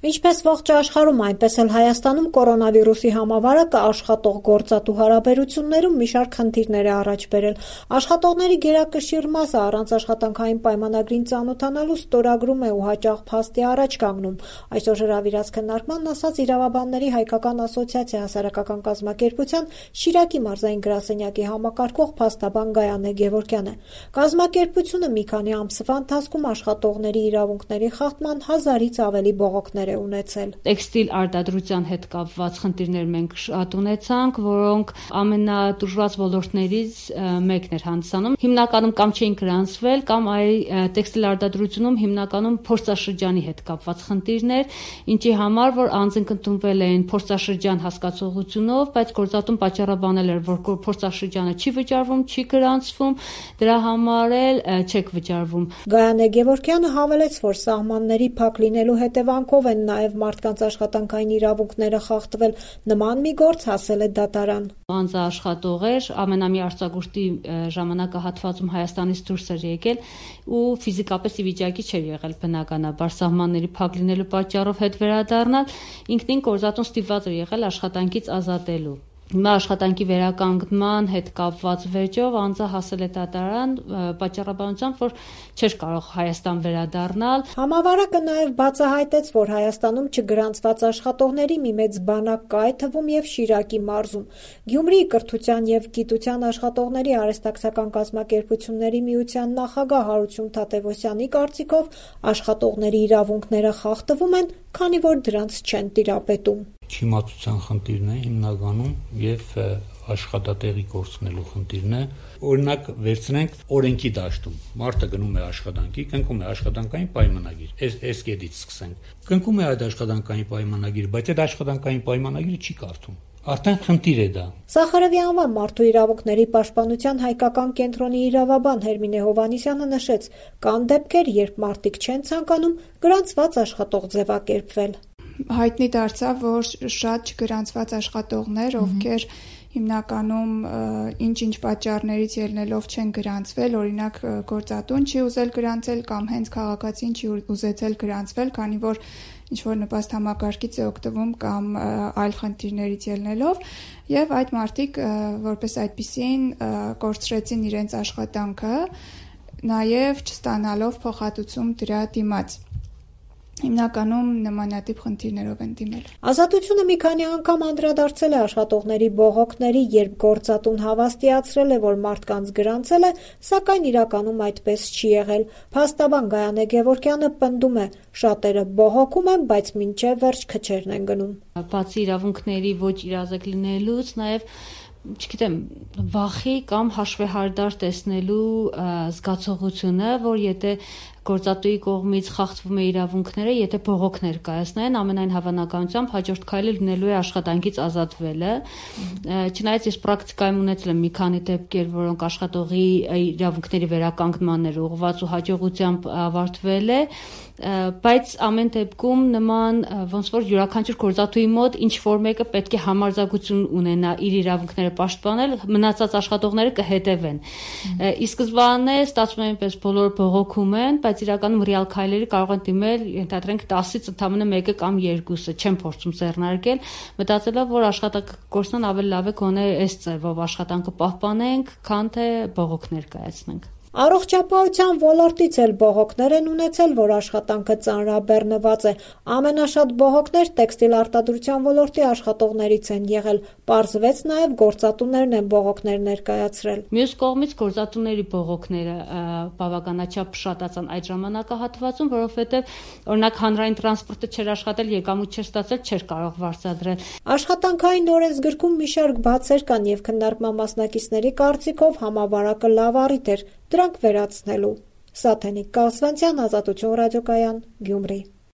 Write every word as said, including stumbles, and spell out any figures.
Ինչպես ողջ աշխարհում, այնպես էլ Հայաստանում կորոնավիրուսի համավարակը աշխատող գործատու հարաբերություններում մի շարք խնդիրներ է առաջ բերել։ Աշխատողների գերակշիռ մասը առանց աշխատանքային պայմանագրին ծանոթանալու ստորագրում է ու հաճախ փաստի առաջ կանգնում։ Այսօր հրավիրած քննարկմանն ասաց Իրավաբանների հայկական ասոցիացիա հասարակական կազմակերպության Շիրակի մարզային գրասենյակի համակարգող փաստաբան Գայանե Գևորգյանը։ Կազմակերպությունը մի քանի ամսվա ընթացքում աշխատողների իրավունքների խախտման հազարից ավելի բողոքներ ունեցել։ Տեքստիլ արտադրության հետ կապված խնդիրներ մենք շատ ունեցանք, որոնք ամենատուժված ոլորտներից մեկն էր հանդիսանում։ Հիմնականում կամ չէին գրանցվել, կամ այ տեքստիլ արտադրությունում հիմնականում փորձաշրջանի հետ կապված խնդիրներ, ինչի համար որ անձինք ընդունվել էին փորձաշրջան հասկացողությունով, բայց գործատուն պատճառաբանել էր, որ փորձաշրջանը չի վճարվում, չի գրանցվում, դրա համար էլ չեք վճարվում։ Գայանե Գևորգյանը հավելեց, որ սահմանների փակ լինելու հետևանքով են նաև մարդկանց աշխատանքային իրավունքները խախտվել։ Նման մի գործ հասել է դատարան։ Անձաաշխատող էր, ամենամյա արձակուրդի ժամանակահատվածում Հայաստանից դուրս էր եկել ու ֆիզիկապես ի վիճակի չէր եղել բնականաբար սահմանների փակ լինելու պատճառով հետ վերադառնալ, ինքնին գործատուն ստիպված էր եղել աշխատանքից ազատելու։ Հիմա աշխատանքի վերականգնման հետ կապված վեճով անձը հասել է դատարան պատճառաբանությամբ, որ չէր կարող Հայաստան վերադառնալ։ Համավարակը նաև բացահայտեց, որ Հայաստանում չգրանցված աշխատողների մի մեծ բանակ կա, այդ թվում և Շիրակի մարզում։ Գյումրիի կրթության և գիտության աշխատողների արհեստակցական կազմակերպությունների միության նախագահ Հարություն Թադևոսյանի կարծիքով աշխատողների իրավունքները խախտվում են, քանի որ դրանց չեն տիրապետում։ Չիմացության խնդիրն է հիմնականում եւ աշխատատեղի կորցնելու խնդիրն է։ Օրինակ վերցնենք օրենքի դաշտում։ Մարդը գնում է աշխատանքի, կնքում է աշխատանքային պայմանագիր։ Այս այս կետից սկսենք։ Կնքում է այդ աշխատանքային պայմանագիրը, բայց այդ աշխատանքային պայմանագիրը չի կարդում։ Արդեն խնդիր է դա։ Սախարովի անվան մարդու իրավունքների պաշտպանության հայկական կենտրոնի իրավաբան Հերմինե Հովհաննիսյանը նշեց, կան դեպքեր, երբ մարդիկ չեն ցանկանում գրանցված աշխատող ձևակերպվել։ Հայտնի դարձավ, որ շատ չգրանցված աշխատողներ, ովքեր հիմնականում ինչ-ինչ պատճառներից ելնելով չեն գրանցվել, օրինակ գործատուն չի ուզել գրանցել կամ հենց քաղաքացին չի ուզեցել գրանցվել, քանի որ ինչ-որ նպաստ համակարգից է օգտվում կամ այլ խնդիրներից ելնելով, եւ այդ մարդիկ որպես այդպիսին կորցրեցին իրենց աշխատանքը, նաեւ չստանալով փոխհատուցում դրա դիմաց։ Հիմնականում նմանատիպ խնդիրներով են դիմել։ Ազատությունը մի քանի անգամ անդրադարձել է աշխատողների բողոքների, երբ գործատուն հավաստիացրել է, որ մարդկանց գրանցել է, սակայն իրականում այդպես չի եղել։ Փաստաբան Գայանե Գևորգյանը պնդում է, շատերը բողոքում են, բայց մինչև վերջ քչերն են գնում։ Բացի իրավունքների ոչ իրազեկ լինելուց, նաև չգիտեմ, վախի կամ հաշվեհարդար տեսնելու զգացողությունը, որ եթե գործատուի կողմից խախտվում է իրավունքները, եթե բողոքներ կայացնեն, ամենայն հավանականությամբ հաջորդ քայլը լինելու է աշխատանքից ազատվելը։ Չնայած ես պրակտիկայում ունեցել եմ մի քանի դեպքեր, որոնք աշխատողի իրավունքների վերականգնման էր ուղղված ու հաջողությամբ ավարտվել է, բայց ամեն դեպքում նման ոնց որ յուրաքանչյուր գործատուի մոտ ինչ որ մեկը պետք է համարձակություն ունենա իր իրավունքները պաշտպանել, մնացած աշխատողները կհետևեն։ Ի սկզբանե ստացվում է այնպես բոլորը բողոքում են, բայց իրականում ռեալ քայլերի կարող են դիմել, ենթադրենք տասից ընդամենը մեկը կամ երկուսը, չեն փորձում ձեռնարկել, մտածելով, որ աշխատանքը կորցնան ավելի լավ է գոնե այս ձևով աշխատանքը պահպանենք, քան թե բողոքներ կայացնենք։ Առողջապահության ոլորտից էլ բողոքներ են ունեցել, որ աշխատանքը ծանրաբեռնված է։ Ամենաշատ բողոքներ տեքստիլ արտադրության ոլորտի աշխատողներից են եղել։ Պարզվեց նաև գործատուներն են բողոքներ ներկայացրել։ Մյուս կողմից գործատուների բողոքները բավականաչափ շատացան այդ ժամանակահատվածում, որովհետև օրինակ հանրային տրանսպորտը չէր աշխատել, եկամուտ չէր ստացել, չէր կարող վարձատրել։ Աշխատանքային օրենսգրքում մի շարք բացեր կան եւ քննարկման մասնակիցների կարծիքով համավարակը լավ առիթ էր դրանք վերացնելու։ Սաթենիկ Կասվանցյան, Ազատություն ռադիոկայան, Գյումրի։